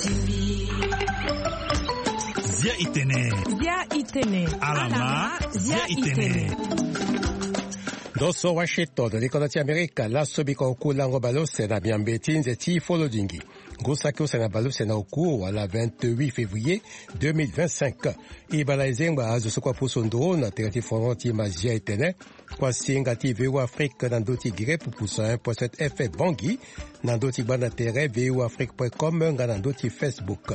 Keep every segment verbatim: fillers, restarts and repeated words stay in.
Zia itene. Zia itene. Alama. Zia itene. Ndo so Washington, likonda ti Amerika, laso biko oku lango baleuse na miambe ti nze ti folodingi. Ngu saki use na baleuse na oku wala vingt-huit février deux mille vingt-cinq. Ibala ezengba azo so kua pusu ndo na tere ti fono ti ma Zia itene. Kuasinga ti V O A Afrique na ndö ti grippe pusa un point sept F M Bangui, na ndö ti gbanda tere V O A Afrique point com nga na ndö ti Facebook.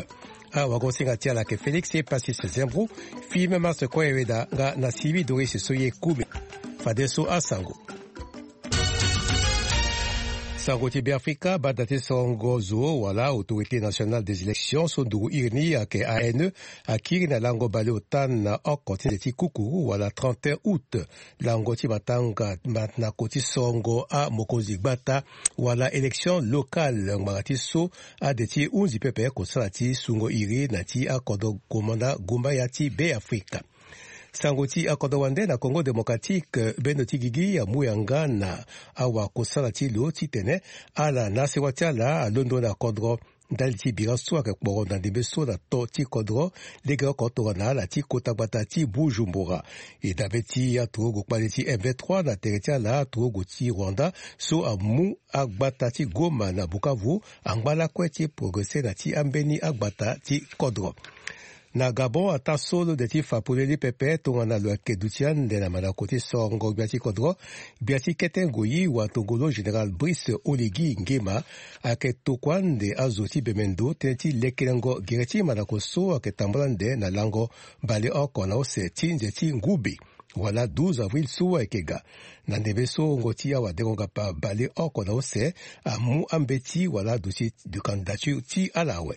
Awagosinga ti ala ayeke Félix Epasis Zembro, Fime Mars Koyeweda nga na Sylvie Doris so ye kumi. Fadeso asango. Sango ti Beafrika, bada ti sorongo zo wala Autorité Nationale des Élections so nduru iri ni ayeke A N E, akiri na lango baleota na oko ti nze ti kukuru wala trente et un août. Lango ti matanga manako ti sorongo amokonzi gbata wala élection locale ngbanga ti so ade ti hunzi pepe kosala ti sungo iri na ti akodro komanda gumbaya ti Beafrika. Sango ti akodro wande na Congo Démocratique, bendo ti gigi amu yanga na awakosala ti lo titene ala na sewa ti ala alondo na kodro ndali ti bira so ayeke kporo na ndembe so na to ti kodro, legeoko tongana ala ti kota gbata ti Bujumbura. E dabe ti aturugu kpale ti M vingt-trois na tere ti ala, aturugu ti Rwanda so amu agbata ti Goma na Bukavu angba lakue ti progresser na ti ambeni agbata ti kodro. Na Gabon, ataa so lo de ti fa polele pepe tongana lo yeke duti ande na mandako ti sorongo gbia ti kodro, gbia ti kete ngoi watongolo général Brice Oligui Nguema ayeke tokua ande azo ti bemendo tënë ti lekelengo gere ti mandako so ayeke tambula ande na lango baleoko na use ti nze ti ngube wala douze avril so ayeke ga. Na ndembe so wungo ti awadengo ngapa baleoko na use amu ambeti wala dossier de candidature ti ala awe.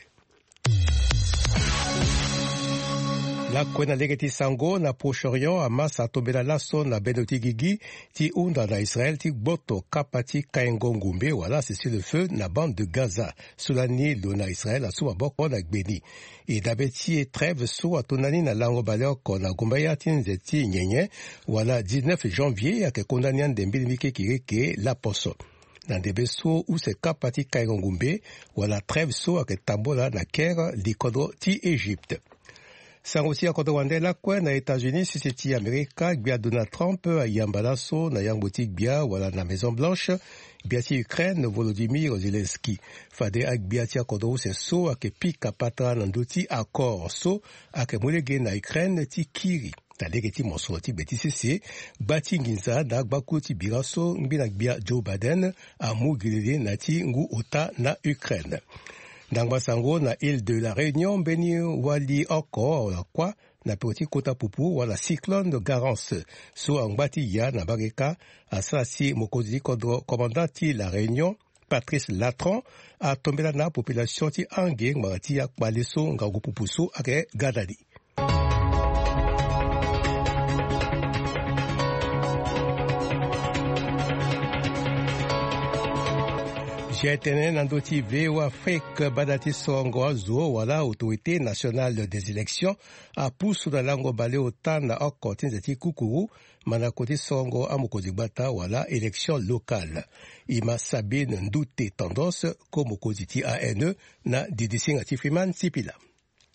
Lakue na lege ti sango, na Proche-Orient, Hamas atombela laso na bendo ti gigi ti hunda na Israël ti gboto kapa ti kaingo ngumbe wala cessez-le-feu na bande de Gaza. So lani lo na Israël asu maboko na gbe ni. E dabe ti e trêve so ato ndani na lango baleoko na gumbaya ti nze ti nyenye wala dix-neuf janvier ayeke kondani ande mbeni mbi kekireke laposo. Na ndembe so use kapa ti kaingo ngumbe wala trêve so ayeke tambula na Caire, likodro ti Égypte. Sango ti akodro wande lakue na États-Unis, sese ti Amerika, gbia Donald Trump ayamba laso na yangbo ti gbia wala na Maison Blanche, gbia ti Ukraine Volodymyr Zelensky. Fade agbia ti akodro use so ayeke pika patara na ndö ti accord so ayeke mu lege na Ukraine ti kiri. Na lege ti mosoro ti gbe ti sese, gba ti nginza na agbakuru ti bira so ngbena gbia Joe Biden amu gelele na ti ngu ota na Ukraine. Ndangba sango na Île de la Réunion, mbeni wali oko wala kuâ na peko ti kota pupu wala cyclone Garance so angba ti ya na mbage kâ asara si mokonzi ti kodro, commandant ti la Réunion, Patrice Latran, atombela na apopulation ti ange ngbanga ti akpale so ngangu pupu so ayeke ga na ni. Zia tënë na ndö ti V O A Afrique, bada ti sorongo azo wala Autorité Nationale des Élections apusu na lango baleota na oko ti nze ti kukuru mandako ti sorongo amokonzi gbata wala élection locale. E ma Sabine Ndute Tendance, ko mokonzi ti A N E, na didisinga ti Freeman Sipila.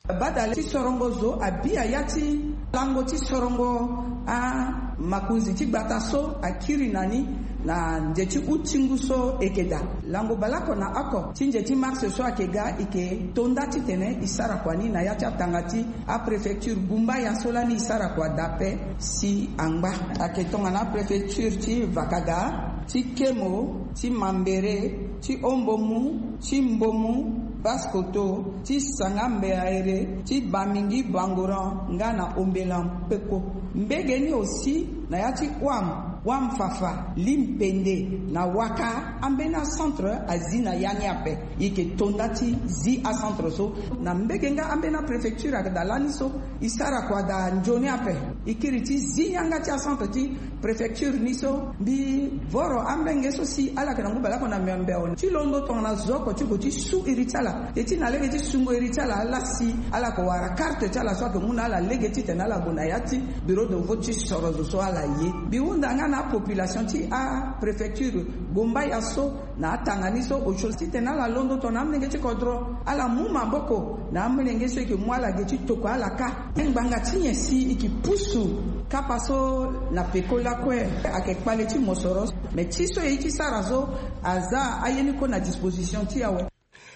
Badale ti sorongo zo abi ya ti lango ti sorongo amakonzi ti gbata so akiri na ni na nze ti uti ngu so e yeke daa. Lango baleoko na oko ti nze ti mars so ayeke ga e yeke to nda titene e sara kua ni na ya ti atanga ti apréfecture gumbaya so lani e sara kua daa ape si angba. Ayeke tongana apréfecture ti Vakaga, ti Kemo, ti Mambere, ti Ombomu, ti Mbomu, Basse-Kotto, ti Sanga-Mbeaere, ti Bamingi-Bangoran nga na Ombelan peko. Mbege ni aussi na ya ti Ouam, Ouam-Fafa, Lim-Pende na Ouaka, ambeni acentre azi na ya ni ape. E yeke to nda ti zi acentre so. Na mbege nga ambeni apréfecture ayeke daa lani so e sara kua daa nzoni ape. E kiri ti zi yanga ti acentre ti préfecture ni so, mbi voro amolenge so si ala yeke na ngu baleoko na miombe awe ti londo tongana zo oko ti gue ti su iri ti ala, e ti na lege ti sungo iri ti ala ala si ala yeke wara karte ti ala so ayeke mu na ala lege titene ala gue na ya ti bureau de vote ti soro zo so ala ye. Mbi hunda nga Apopulation ti apréfecture Bombaya so na atanga ni so osio titene ala londo tongana amolenge ti kodro ala mu maboko na amolenge so eke mu ala ge ti tokua ala kâ. Ngbanga ti nyen si eke pusu kapa so na peko lakue? Ake kpale ti mosoro. Mais ti so e ye ti sara so aza aye ni kue na disposition ti awe.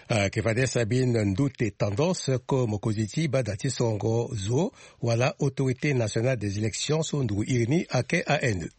Ake fade Sabine Ndute Tendance, ko mokonzi ti bada ti songo zo wala Autorité Nationale des Élections so nduru iri ni ake A N E.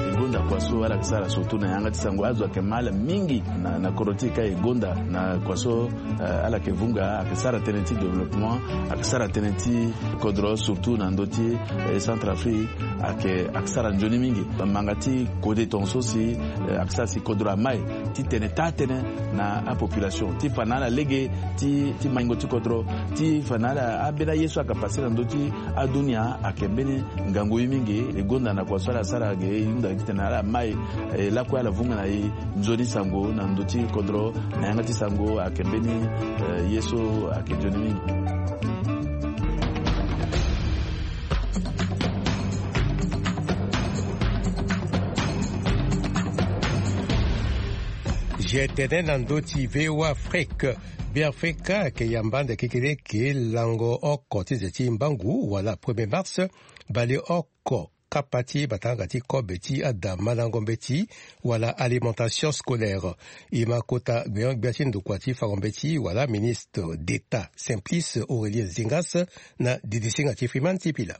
E gonda kua so ala ke sara surtout na yanga ti sango, azo ake ma ala mingi na, na kodro ti e ka e gonda na kua so, eh, ala ke vunga, ake sara tënë ti développement, ake sara tënë ti kodro surtout na ndö ti, eh, Centrafrique, ake, ake sara nzoni mingi. Manga ti kode tongaso si, eh, ake sara si kodro amai titene taa tënë na apopulation ti fa na ala lege ti, ti maingo ti kodro, ti fa na ala ambeni aye so ake pase na ndö ti adunia ake mbeni ngangu ye mingi. E gonda na kua so ala sara ge e hunda titene ala mai, eh, lakue ala vunga na e nzoni sango na ndö ti kodro na yanga ti sango ake mbeni, eh, ye so ake nzoni mingi. Ge tene na ndö ti V O A Afrique. Beafrika ayeke yamba ande kekereke lango oko ti nze ti mbangu wala premier mars, bale oko kapa ti batanga ti kobe ti ada mandango mbeti wala alimentation scolaire. E ma kota gbenyo-gbia ti ndokua ti fango mbeti wala ministre d'État Simplice Aurélien Zingas na didisinga ti Freeman ti pila.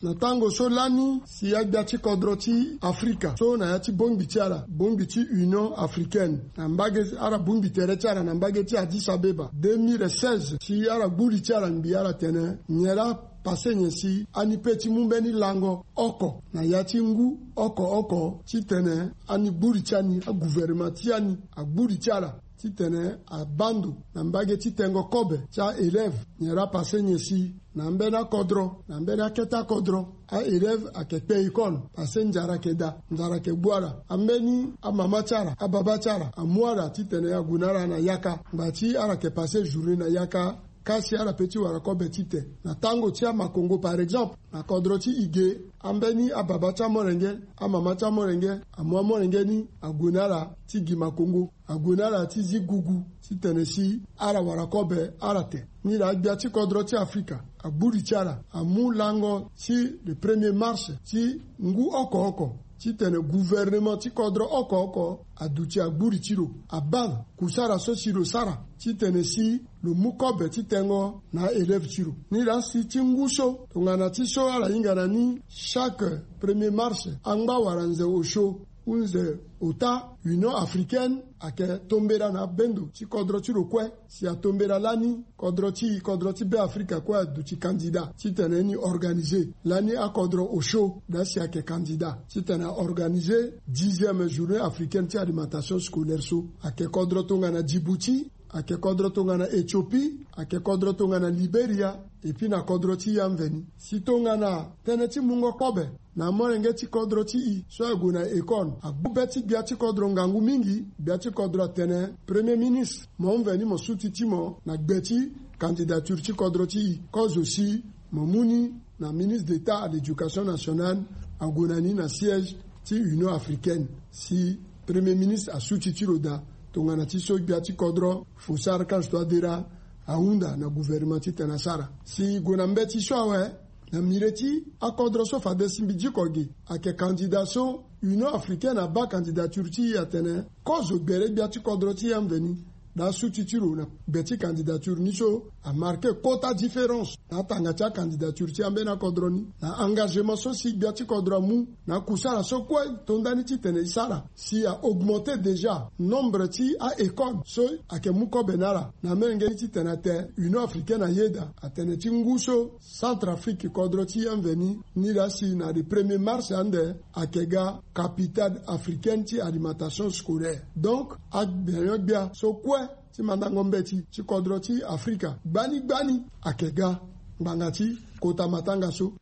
Na tango so lani si agbia ti kodro ti Afrika so na ya ti bongbi ti ala, bongbi ti Union Africaine, na mbage, ala bongbi tere ti ala na mbage ti Addis Abeba deux mille seize, si ala gbu li ti ala ngbi ala tene nyen laa pase nyen si ani pe ti mu mbeni lango oko na ya ti ngu oko oko titene ani gbu li ti ani, agouvernement ti ani agbu li ti ala titene abaa ndo na mbage ti tengo kobe ti aélève. Nyen laa pase nyen si na ambeni akodro, na ambeni akete akodro, aélève ayeke kpe école, pase nzara ayeke daa, nzara ayeke gbu ala. Ambeni amama ti ala, ababa ti ala amu ala titene ague na ala na yaka, ngba ti ala yeke pase journée na yaka, ka si ala pe ti wara kobe ti te. Na tango ti amakongo par exemple, na kodro ti e ge, ambeni ababa ti amolenge, amama ti amolenge amu amolenge ni ague na ala ti gi makongo, ague na ala ti zi gugu titene si ala wara kobe ala te. Nilaa agbia ti kodro ti Afrika agbu li ti ala amu lango ti le premier mars ti ngu oko oko titene gouvernement ti kodro oko oko aduti agbu li ti lo, abaa kusara so si lo sara titene si lo mu kobe ti tengo na aélève ti lo. Nilaa si ti ngu so tongana ti so ala hinga na ni chaque premier mars, angba wala nze osio, hunze ota, Union Africaine ayeke tombela na abendo ti kodro ti lo kue. Si atombela lani, kodro ti e, kodro ti Beafrika kue aduti candidat titene ni organiser lani akodro osio, daa si ayeke candidat titene aorganiser dixième journée africaine ti alimentation scolaire so. Ayeke kodro tongana Djibouti, ayeke kodro tongana Éthiopie, ayeke kodro tongana Libéria, et puis na kodro ti e amveni. Si tongana tënë ti mungo kobe na amolenge ti kodro ti e so ague na école agbu be ti gbia ti kodro ngangu mingi. Gbia ti kodro atene premier ministre, mo mveni mo suti ti mo na gbe ti candidature ti kodro ti e, kozo si mo mu ni na ministre d'État à l'éducation nationale ague na ni na siège ti Union Africaine. Si premier ministre asuti ti lo daa tongana ti so gbia ti kodro Faustin Archange Touadéra ahunda na gouvernement titene asara. Si e gue na mbeti so awe, na mire ti akodro so fade si mbi diko gi, ayeke candidat so Union Africaine abaa candidature ti e atene kozo gbere gbia ti kodro ti e amveni, daa suti ti lo na gbe ti candidature ni so amarke kota différence na atanga ti acandidature ti ambeni akodro ni, na engagement so si gbia ti kodro amu, na akusara so kue e to nda ni titene e sara si a-augmenter déjà nombre ti a-école so ayeke mu kobe na ala. Na amolenge ni titene ate Union Africaine ayeda atene ti ngu so Centrafrique kodro ti e amveni, nilaa si na le premier mars ande ayeke ga capitale africaine ti alimentation scolaire. Donc agbenyo-gbia so kue ti mandango mbeti ti kodro ti Afrika gbani gbani ayeke ga ngbanga ti kota matanga so.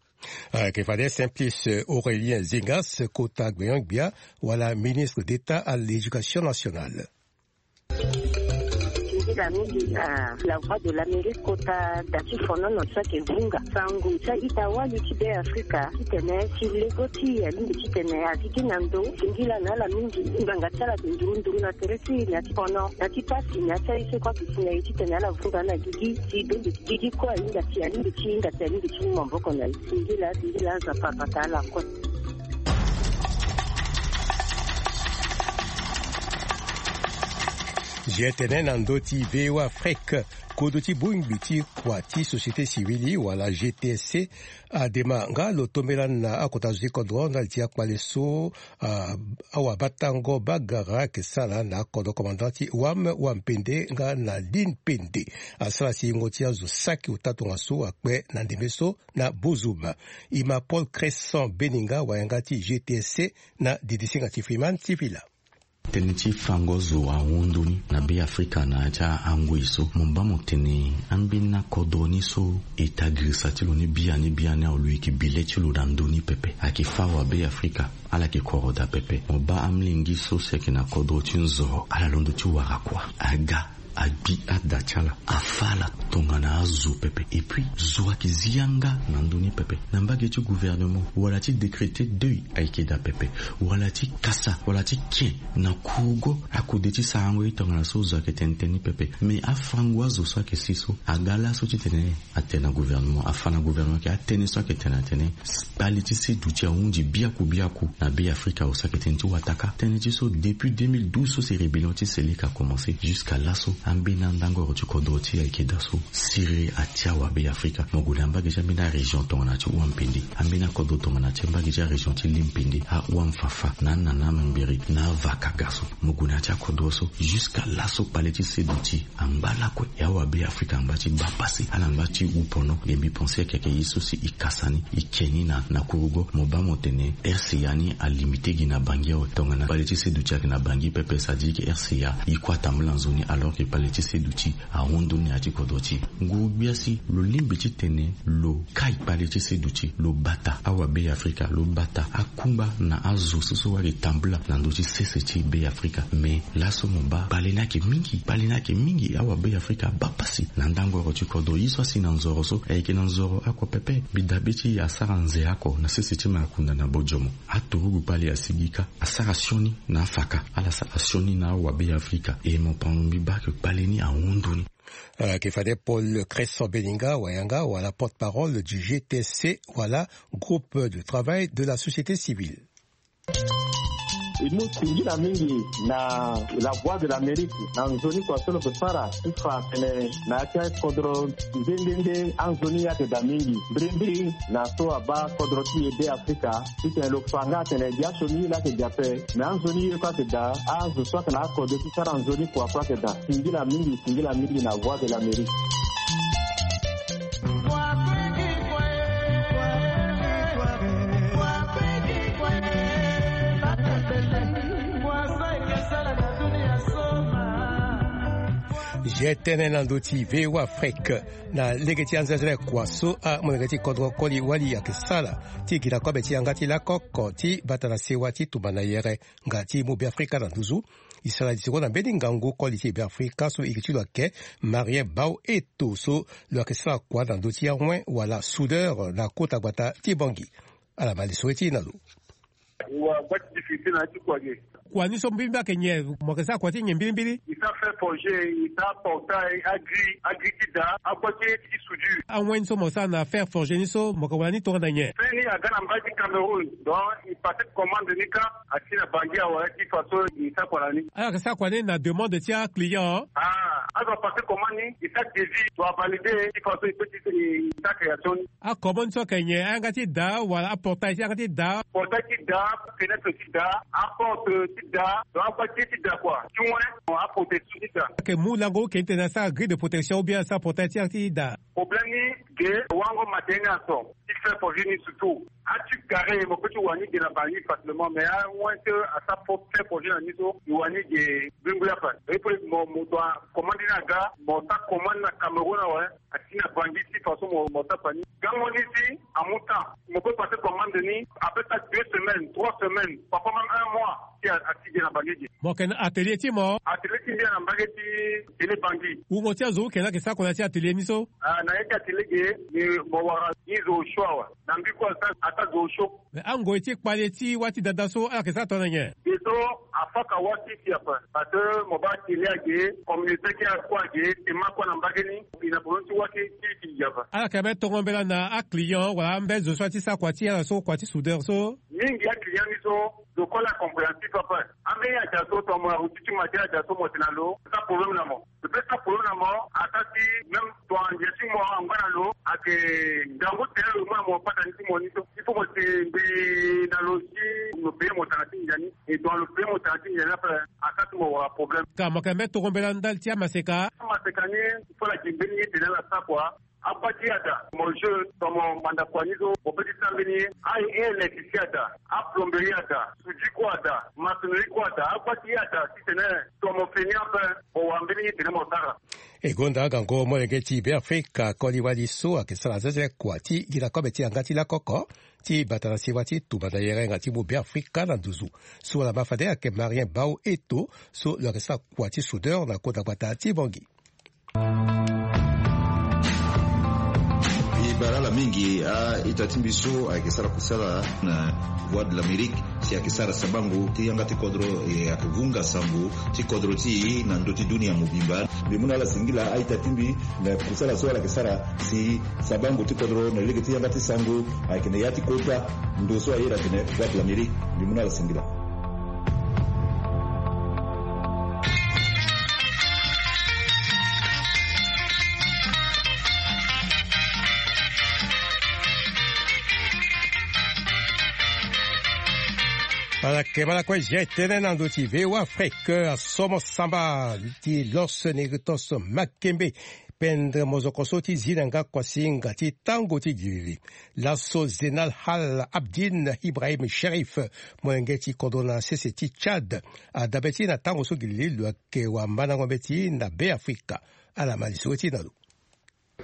Ayeke fade Simplice Aurélien Zingas, kota gbenyo-gbia wala ministre d'État à l'éducation nationale. Mingi na La Voix de l'Amérique kota da ti fonono so ayeke vunga sango ti a-ita wali ti Be Afrika titene ti lego ti alingbi titene agigi na ndo singila na ala mingi. Ngbanga ti ala ayeke nduru nduru na tere ti na ti fono na ti pasi na ya ti aye so kue ayeke si na ye titene ala vunga na gigi ti bende ti gigi kue ahinga si alingbi ti hinga si alingbi ti mu maboko na ye. Singila singila aza papa ta ala kue. Zi etene na ndo ti V O A Afrique, kodo ti bongbi ti kua ti société civile wala G T S C adema nga lo tombela na akota zo ti kodro ndali ti akpale so awabatango bagara ayeke sara na akodro commandant ti wam wampende nga na lin pende. Asara si yengo ti azo saki ota tongaso akpe na ndembe so na bozoma. E ma Paul Crescent Beninga wayanga ti G T S C na didisinga ti Freeman ti Villa. Tënë ti fango zo ahon ndoni na Be Afrika na ya ti angoi so mo baa mo tene ambeni akodro ni so e ta girisa ti lo ni biani biani awe lo yeke bi le ti lo na ndö ni pepe ayeke fâ awa Be Afrika. Ala yeke koro daa pepe. Mo baa amolenge so si ayeke na kodro ti nzoro ala londo ti wara kua aga agbi ada ti ala afâ ala tongana azo pepe. Et puis zo ayeke zi yanga na ndö ni pepe na mbage ti gouvernement wala ti décréter deuil ayeke daa pepe wala ti kasa wala ti ken na kurugo akode ti sarango ye tongana so zo ayeke tene tënë ni pepe. Mais afango azo so ayeke si so aga laso titene atene na gouvernement afâ na gouvernement ayeke atënë so ayeke tene atene kpale ti seduti ahunzi biaku biaku na Be Afrika awe so ayeke tënë ti wataka. Tënë ti so depuis deux mille douze so si rébellion ti Seleka akomanse jusqu'à laso ambeni andangoro ti kodro ti e ayeke daa so siriri atia awa Be Afrika. Mo gue na mbage ti ambeni arégion tongana ti wampende ambeni akodro tongana ti mbage ti arégion ti limpende awamfafa na anana mambiri na avaka ga so mo gue na ya ti akodro so jusqu'à laso kpale ti seduti angba lakue. E awa Be Afrika angba ti baa pasi ala ngba ti wu pono. Nde mbi pense ayeke ye so si e kasa ni e ke ni na na kurugo. Mo baa mo tene R C A ni alimite gi na Bangui awe tongana kpale ti seduti ayeke na Bangui pepe ça dit que R C A e kue atambula nzoni alors que kpale ti seduti ahon ndoni na ya ti kodro ti e. Nguru-gbia si lo lingbi titene lo kai kpale ti seduti lo bata awa Be Afrika lo bata akungba na azo so so wali tambula na ndö ti sese ti Be Afrika. Mais laso mo baa kpale ni ayeke mingi kpale ni ayeke mingi awa Be Afrika abaa pasi na ndangoro ti kodro ye so asi na nzoro so ayeke na nzoro oko pepe. Mbi dabe ti e asara nze oko na sese ti makunda na bojomo aturugu kpale asigi kâ asara sioni na afaka ala sara sioni na awa Be Afrika. E mo pango mbi baa ke kpale ni ahon ndoni. Ayeke fade Paul Crescent Beninga wayanga wala porte-parole du G T S C wala groupe de travail de la société civile. E mu singila mingi na La Voix de l'Amérique na nzoni kua so lo yeke sara ti fa atene na ya ti akodro nde nde nde anzoni ayeke daa mingi mbirimbiri na so abaa kodro ti e Be Afrika titene lo fa nga atene gi asioni ye laa ayeke gi ape. Me anzoni ye kue ayeke daa azo so ayeke na akode ti sara nzoni kua kue ayeke daa. Singila mingi singila mingi na Voix de l'Amérique. Zi etene na ndö ti V O A Afrique na lege ti anzenzele kua so amolenge ti kodro koli wali ayeke sara ti gi na kobe ti yanga ti lako oko ti bata na sewa ti tumba na yere nga ti mu Be Afrika na nduzu. E sara li seko na mbeni ngangu koli ti Be Afrika so iri ti lo ayeke Marien Bao Eto so lo yeke sara kua na ndö ti awen wala soudeur na kota gbata ti Bangui. Ala ma li so ye ti e na lo. Wa gba ti difficulté na ya ti kua ge. Kua ni so mbirimbiri ayeke nyen? Mo yeke sara kua ti nyen mbirimbiri? E sara fer forgé, e sara portail, agri, agri ti da, akua ti ti soudure. Awen ni so mo sara na fer forgé ni so mo yeke wara ni tongana nyen? Fer ni aga na mbage ti Cameroun, donc e passé commande ni kâ asi na Bangui awe ti façon e sara kua na ni. Ala yeke sara kua ni na demande ti aclient? Ah, azo apassé commande ni, e sara devis, lo avalidé ti façon e peut ti e sara création ni. Akobo ni so ayeke nyen? Ayanga ti da wala aportail ti yanga ti da? Portail ti da, fenêtre ti da, aporte ti da, donc akua ti ti da kua ti wen, aprotection ti da. Ayeke mu lango ou ke ni tene asara grille de protection ou bien asara portail ti yanga ti da? Problème ni ge wango matériel ni aso ti fer forgé ni surtout. Ati carré mo peut ti wani ge na Bangui facilement, mais awen ti asara fer forgé na ni so e wani ge. Bingu ya fa e peut mo mo doit commande ni aga, mo sara commande na Cameroun awe. Asi na Bangui ti façon mo mo sara fa ni. Tango ni si amu temps, mo peut passer commande ni après ça deux semaines, trois semaines, parfois même un mois. Si ati ge na bangi ge. Mo yeke na atelier ti mo? Atelier ti mbi ayeke na mbage ti tele bangi. Wungo ti azo wu yeke na ayeke sara kua na ya ti atelier ni so? Ah, na ya ti atelier ge, ni mo wara ni zo osio awe. Na mbi kue asa, asa zo osio. Mais angoi ti kpale ti wâ ti dada so ala yeke sara tongana nyen? Ge so afaka wâ ti si ape. Parce que mo baa atelier age, communauté ti akua age, tema kue na mbage ni, e na problème ti wâ ti ti ti ape. Ala yeke même tongo mbela na aclient wala ambeni zo so ati sara kua ti ala so, kua ti soudeur so? Mingi aclient ni so, zo kue la compréhensif ape. Ambeni aja so tongana mo na routine ti mo ade aja so mo tene na lo, sa problème na mo. Lo peut sara problème na mo, ata si même tongana ndia ti mo angba na lo, ayeke ngangu tene lo mu na mo patani ti mo ni so. Il faut mo si mbi na lo si lo paye mo tanga ti ndia ni. E tongana lo paye mo tanga ti ndia ni ape, asa ti mo wara problème. Ka mo yeke même tongo mbela ndali ti amaseka? Amaseka ni, il faut la gi mbeni ye tene ala sara kua. Akua ti ada, mo jeune, tongana mo manda kua ni so, mo peut ti sara mbeni ye. A-, a-électricien ada, aplomberie ada, soudure kue ada, maçonnerie kue ada, akua ti ada, titene tongana mo fe ni ape, mo wara mbeni ye tene mo sara. E gonda agango molenge ti Beafrika koli wali so ayeke sara zeze kua ti gi na kobe ti yanga ti lakoko ti bata na siwa ti tumba na yerenga ti mu Beafrika na nduzu. So wala ma fade ayeke Marien Bao Eto so lo yeke sara kua ti soudeur na kota gbata ti Bangui. E bale ala mingi a-ita ti mbi so ayeke sara kusala na Voix de l'Amérique si ayeke sara sabango ti yanga ti kodro, e ayeke vunga sango ti kodro ti e na ndö ti dunia mobimba. Mbi mu na ala singila a-ita ti mbi na kusala so ala yeke sara si sabango ti kodro na lege ti yanga ti sango ayeke na ya ti kota ndo so ayeda atene Voix de l'Amérique. Mbi mu na ala singila. Ala yeke bala kue G T N na ndö ti V O A Afrique, asomo samba ti Los Negritos Makembe. Pendre mozoko so ti zi na nga kuasinga ti tango ti gilili. Laso Zeinal Al Abidine Ibrahim Cherif, molenge ti kodro na sese ti Tchad, adabe ti na tango so gilili lo yeke wamandango mbeti na Beafrika. Ala ma lisoro ti na lo.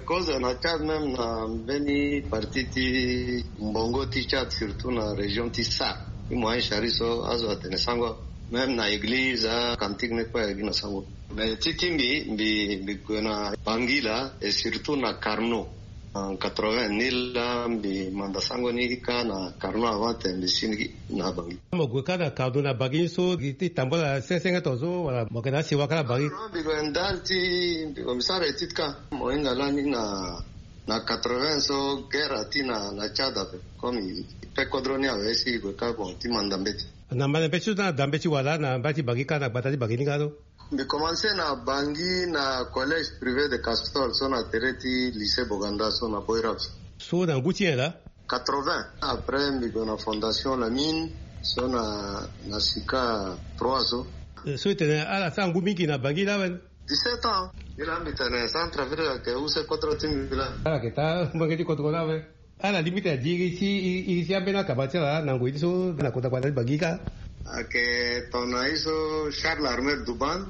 Kozo na Tchad même na mbeni partie ti mbongo ti Tchad, surtout na région ti Sar. Ti moyen chari so azo atene sango. Même na église, acantique ni kue ayeke gi na sango. Mais ti ti mbi, mbi, mbi gue na Bangui laa, et surtout na Carnot. En quatre-vingt ni laa mbi manda sango ni kâ na Carnot avant tene mbi si ni na Bangui. Mo gue kâ na Carnot na Bangui ni so, gi ti tambula senge senge tongaso, wala mo yeke na asiwa kâ na Bangui? Non, mbi gue ndali ti, mbi gue mbi sara étude kâ. Mo hinga lani na, na quatre-vingts so guerre ati na, na Tchad ape. Comme e pe kodro ni awe si e gue kâ bon ti manda mbeti. Na manda mbeti so na da mbeti wala na mbage ti Bangui kâ, na gbata ti Bangui ni kâ so? Mbi commencé na Bangui na collège privé de Castor so na tere ti lycée Boganda so na Boirab. So na ngu ti nyen laa? Quatre-vingts. Après mbi gue na fondation La Mine so na, na Sika trois so. Eh, so e tene ala sara ngu mingi na Bangui laa awe? Dix-sept ans. Mbi laa mbi tene Centrafrique ayeke use kodro ti mbi laa. Ala yeke taa molenge ti kodro laa awe? Ala limite na di iri ti, iri ti ambeni akaba ti ala na ngoi ti so na kota gbata ti Bangui kâ? Ayeke tongana ye so Charles Armel Douban,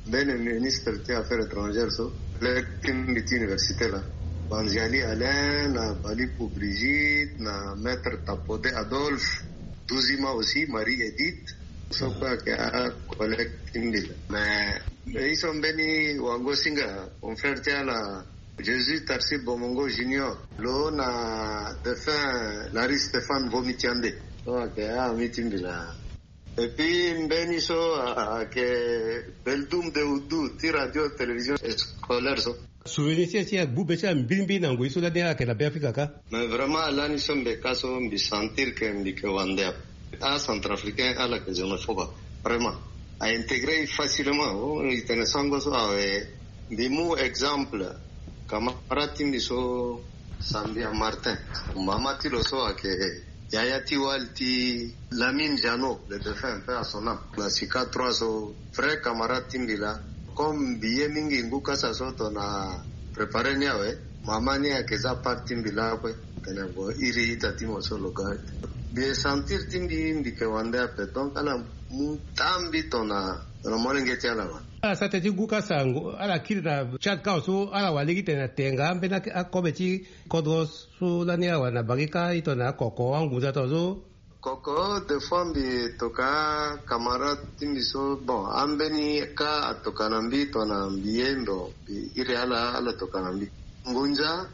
mbeni ministre ti affaires étrangères so, collègue ti mbi ti université laa. Banziali Alain, na Baliku Brigitte, na maître Tapode Adolphe, Duzima aussi, Marie Edith, so kue ayeke acollègue ti mbi laa. Mais, mais ye so mbeni wango-singa, confrère ti ala, Jésus Tarsi Bomongo Junior, lo na défunt Larry Stéphane Vomitiande. So ayeke a-ami ti mbi laa. Et puis mbeni so a, a, ayeke Beldoum de Oudou ti radio télévision scolaire so. Souvenir ti e ti agbu be ti ala mbilimbili na ngoi so lani ala yeke na Beafrika kâ? Mais vraiment lani so mbi yeke kâ so mbi sentir que mbi yeke wande ape. A-Centrafricain ala yeke xénophobe ape. Vraiment. A intégré e facilement. Oh, e tene sango so awe. Mbi mu exemple, camarade ti mbi so, Sambia Martin. Mama ti lo so ayeke yaya ti wali ti Lamine Jeannot, le défunt, paix à son âme. Na Sika trois so, vrai camarade ti mbi laa. Comme mbi ye mingi ngu kasa so tongana préparer ni awe, mama ni ayeke za part ti mbi lakue. Tene bon, iri ita ti mo so lo ga. Mbi ye sentir ti mbi, mbi yeke wande ape. Donc ala mu taa mbi tongana, tongana molenge ti ala wala. Ala sa tënë ti gu ka sango ala kiri na Tchad kâ so ala wara lege titene na tenga ambeni akobe ti kodro so lani ala wara na bangi kâ ito na akoko angunza tongaso. Koko de fois mbi toka camarade ti mbi so bon ambeni kâ atoka na mbi tongana mbi ye ndo mbi iri ala ala toka na mbi. Ngonza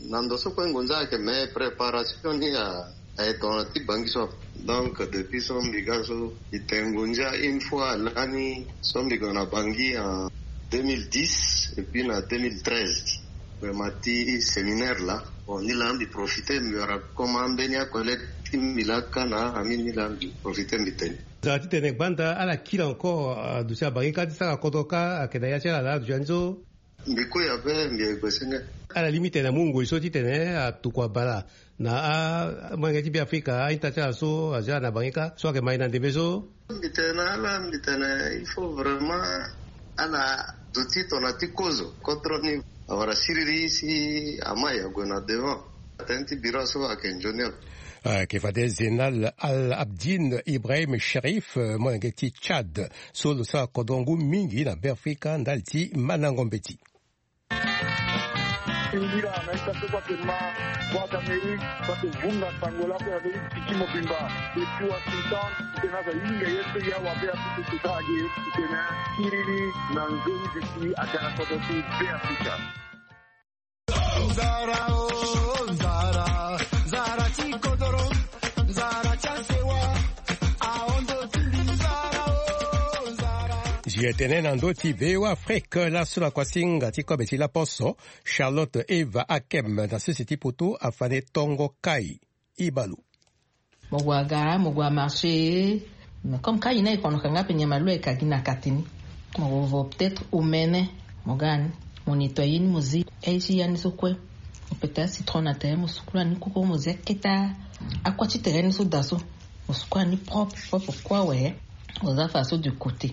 na ndo so kue ngonza ayeke me préparation ni a aye tongana ti bangi so. Donc depuis so mbi ga so mbi tene ngonza une fois lani so mbi gue na bangi en deux mille dix et puis na deux mille treize. Vraiment ti séminaire la bon ni la mbi profite mbi wara comme ambeni akollègue ti mbi la kâ na ami ni la mbi profite mbi tene. Zara titene gbanda ala kiri encore aduti abangi kâ ti sara kodro kâ ayeke na ya ti ala la aduti ani so. Mbi kue ape mbi ye gue senge. Ala lingbi tene amu ngoi so titene atuku abala na amolenge ti Beafrika a-ita ti ala so azia na bangi kâ so ayeke mai na ndembe so. Mbi tene na ala mbi tene il faut vraiment ala duti tongana ti kozo kodro ni awara siriri si amai ague na devant. Atene ti bira so ayeke nzoni ape. Ayeke fade Zénal Al Abdine Ibrahim Cherif, molenge ti Tchad so lo sara kodro ngu mingi na Beafrika ndali ti mandango mbeti. Singila na ita so kue ayeke ma Voix d'Amérique so ayeke vunga sango lakue na be ti tiki mobimba. Depuis Washington titene aza hinga ye so ya wabe apupu sosara ge titene siriri na nzoni duti aga na kodro ti Beafrika. Nzara o nzara, nzara ti kodoro, nzara ti asewa. Aondo ti mbi nzara o nzara. Zi etene na ndö ti V O A Afrique laso na kuasinga ti kobe ti laposo Charlotte Eva Akem na sese ti poto afane tongo kai. Ibalu. Mo gue aga mo gue amarché. Mais comme ka ye ni aye konoka nga ape nyama lo aye ka gi na kati ni. Mo gue vo peut-être omene mo ga ni. Mo nettoyer ni mo zi aye ti ya ni so kue. Mo pete acitron na tere mo sukula ni koko mo zi akete akua ti tere ni so daa so. Mo sukula ni propre propre kue awe. Mo za fa so de côté.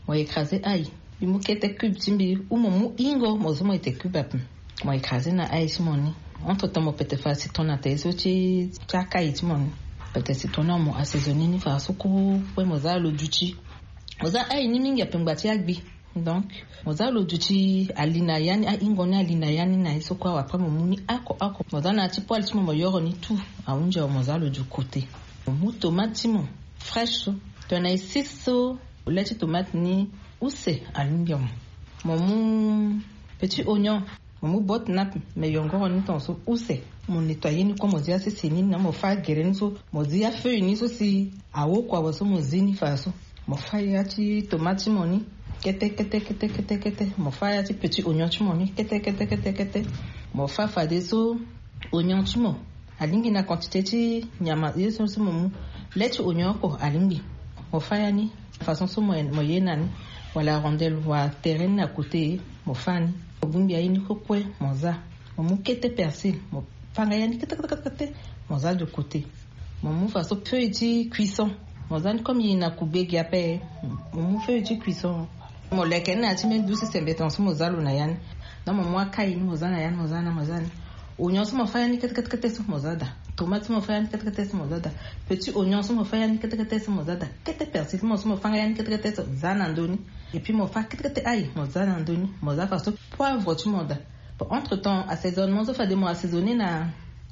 Mo écraser aye. Mbi mu kete cube ti mbi ou mo mu ingo mo zo mo ete cube ape. Mo écraser na aye ti mo ni. Entre temps mo pete fa citron na tere so ti ti akaye ti mo ni. Pete citron ni mo assaisonner ni fa so kue mo za lo duti. Mo za aye ni mingi ape ngba ti agbi. Donc mo za lo duti ali na ya ni aingo ni ali na ya ni na ye so kue awe après mo mu ni oko oko mo za na ya ti poêle ti mo mo yoro ni tout. Ahunzi awe mo za lo du côté. Mo mu tomate ti mo fraîche so. Tongana e six so le ti tomate ni use alingbi mo. Mo mu petit oignon. Mo mu botte na ape me yongoro ni tongaso use. Mo nettoyer ni kue mo zi asese ni na mo fâ agere ni so mo zi afeuille ni so si awokua awe so mo zi ni fa so. Mo fâ ya ti tomate ti mo ni kete kete kete kete kete mo fâ ya ti petit oignon ti mo ni kete kete kete kete. Mo fâ fadeso oignon ti mo alingbi na quantité ti nyama ye so si mo mu. Le ti oignon oko alingbi. Mo fâ ya ni façon so mo ye na ni. Wala rondelle wala tere ni na côté. Mo fâ ni. Mo bongbi aye ni kue kue mo za. Mo mu kete persil mo fâ nga ya ni kete kete kete mo za de côté. Mo mu façon feuille ti cuisson. Mo za ni comme ye na kugbe gi ape. Mo mu feuille ti cuisson. Mo leke ni na ya ti mbeni dusu sembe tongaso mo za lo na ya ni. Donc mo mu akaye ni mo za na ya ni mo za na mo za ni. Oignon so mo fâ ya ni kete kete kete so mo za daa. Tomate so mo fâ ya ni kete kete so mo za daa. Petit oignon so mo fâ ya ni kete kete so mo za daa. Kete persil ti mo so mo fâ nga ya ni kete kete so za na ndö ni. Et puis mo fâ kete kete aye mo za na ndö ni mo za faso poivre ti mo daa. Bon entre temps assaisonnement so fade mo assaisonner na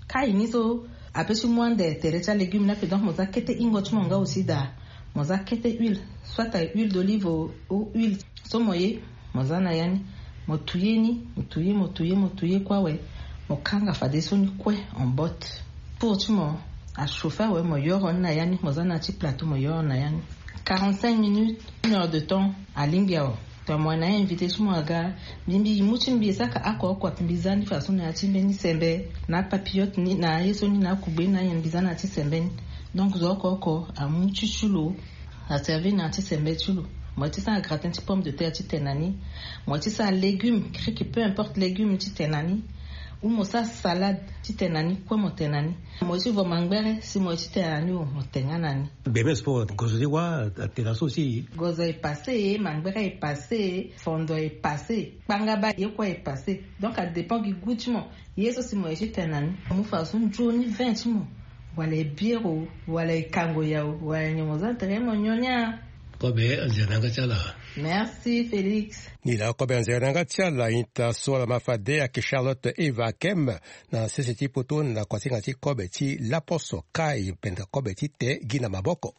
kaye ni so. Ape ti mu ande tere ti alégume ni ape donc mo za kete hingo ti mo nga aussi daa. Mo za kete huile soit aye huile d'olive ou huile so mo ye. Mo za na ya ni mo touye ni mo touye mo touye mo touye kue awe. Mo kanga fadeso ni kue en botte. Four ti mo achauffer awe mo yoro ni na ya ni mo za na ya ti plateau mo yoro ni na ya ni. Quarante-cinq minutes une heure de temps alingbi awe. Tongana mo wara na ya invité ti mo aga mbi mbi mu ti mbi esaka oko oko ape mbi za ni façon na ya ti mbeni sembe na apapillote ni na aye so ni na akugbe ni na ayen mbi za na ya ti sembe ni. Donc zo oko oko amu ti ti lo aservi na ya ti sembe ti lo. Mo ye ti sara gratin ti pomme de terre titene na ni. Mo ye ti sara légume kriki peu importe légume titene na ni. Ou mo sara salade titene na ni kue mo tene na ni. Mo ye ti vo mangbere si mo ye titene na ni o mo tene nga na ni. Gbe me sport gozo ti wa atena so si. Gozo e passe mangbere e passe fondo e passe kpangaba ye kue e passe. Donc adépend gi goût ti mo. Ye so si mo ye titene na ni mo mu faso nzoni vin ti mo. Wala e bière o wala e kango ya o wala nyon mo za tere mo nyon ni a. Kobe, nzere na yanga ti ala. Merci Félix. Ni la kobe, nzere na yanga ti ala. Ita so ala ma fade ayeke Charlotte Eva Kem, na sese ti poto, na kuasinga ti kobe ti laposo kai pendere kobe ti te gi na maboko.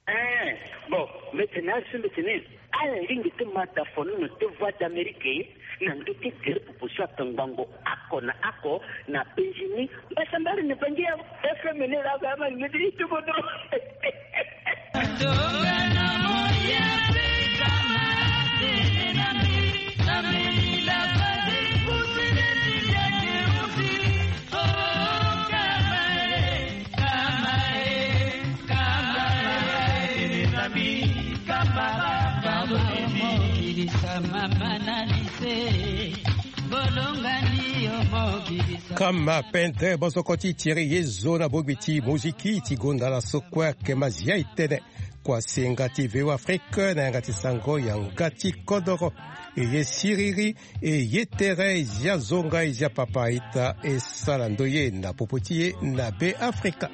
Eh, bon, mbeti na asu mbeti ni. Ala lingbi ti ma dafonono ti Voix d'Amérique na ndö ti tere popo so atongbango oko na oko na penzi ni. Mbasambari ni bangi ya F M ni la ga ma ni ti bodo. Kama pendre bosoko ti Thierry Yezo na bongbi ti moziki ti gonda na so kue ayeke ma zia e tene. Kuasinga ti V O Afrique na yanga ti sango yanga ti kodoro. E ye siriri, e ye tere, e zia zonga, e zia papa, ita e sara ndoye na popo ti e na Be Afrika.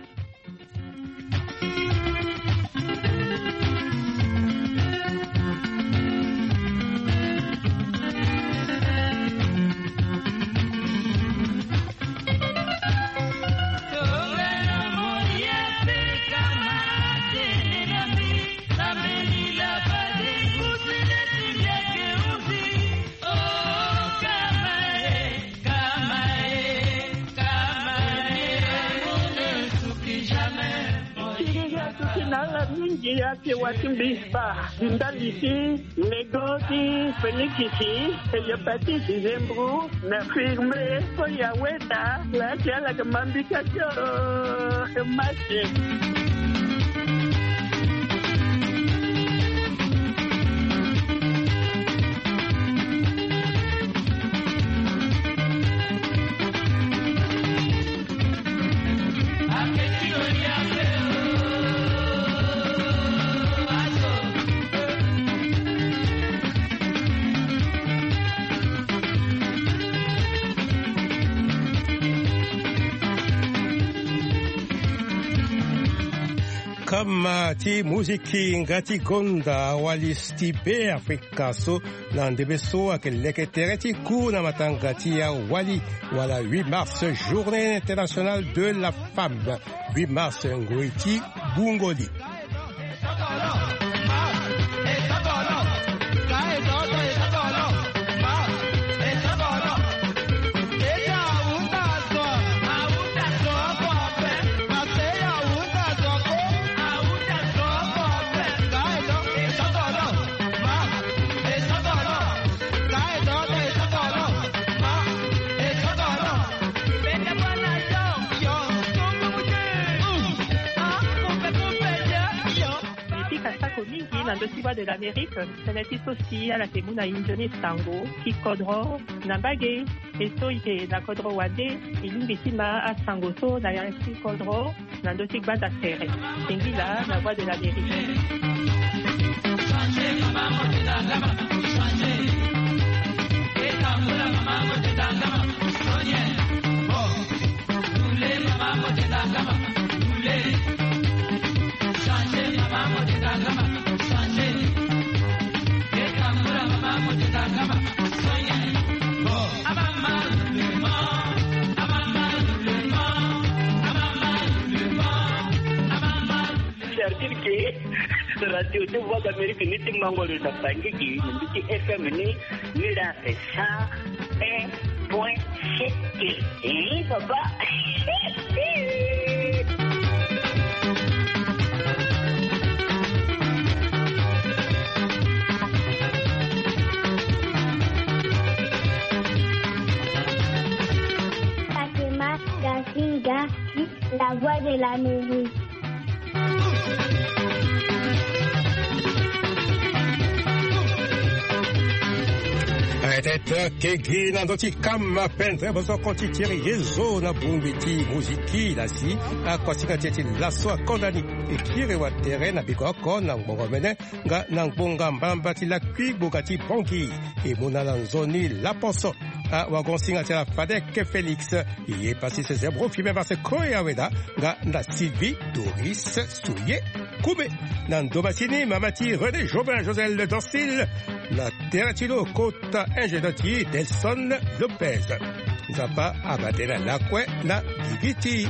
Siriri asuki na ala mingi, ake wa ti mbisba, ndali ti nego ti fenikisi, eye peti dizembru na firme so ya weta, laki ala ke mambika tio masi. Kama ti muziki nga ti gonda, Wali Stipe Afrika so na ndembe so ayeke leke tere ti ku na matanga ti awali, wala huit mars, Journée internationale de la femme. Huit mars, ngoi ti bungoli. Mbi pika sako mingi na ndö ti Voix de l'Amérique, tënë ti so si ala yeke mu na e nzoni sango ti kodro na mbage. E so e yeke na kodro wande, e lingbi ti ma asango so na yanga ti kodro na ndö ti gbanda tere. Singila na Voix de l'Amérique. Certitude ke radio ti Voix d'Amérique ni ti mango lo na Bangui gi, ni ti F M ni, ni la sa un point sept. Eh, papa. Fatima Gasinga, la Voix de l'Amérique. Peut-être ke gi na ndö ti kama pendre bosoko ti Thierry Yezo na bongbi ti moziki la si akuasinga ti e ti laso akonda ni. E kiri watere na biko oko na ngbonga omene nga na ngbonga mbamba ti lakui gbonga ti Bangui. E mu na ala nzoni laposo. awagon singa ti ala Fadek Félix. Ye pasi se zebro fimé marse koya weda nga na Sylvie Doris Souye Koumé. Na ndo masini mama ti René Jobin Josel Dansil. Na tera ti lo kota ingénieur ti Delson Lopez. Nzapa abate na lakue na gigi ti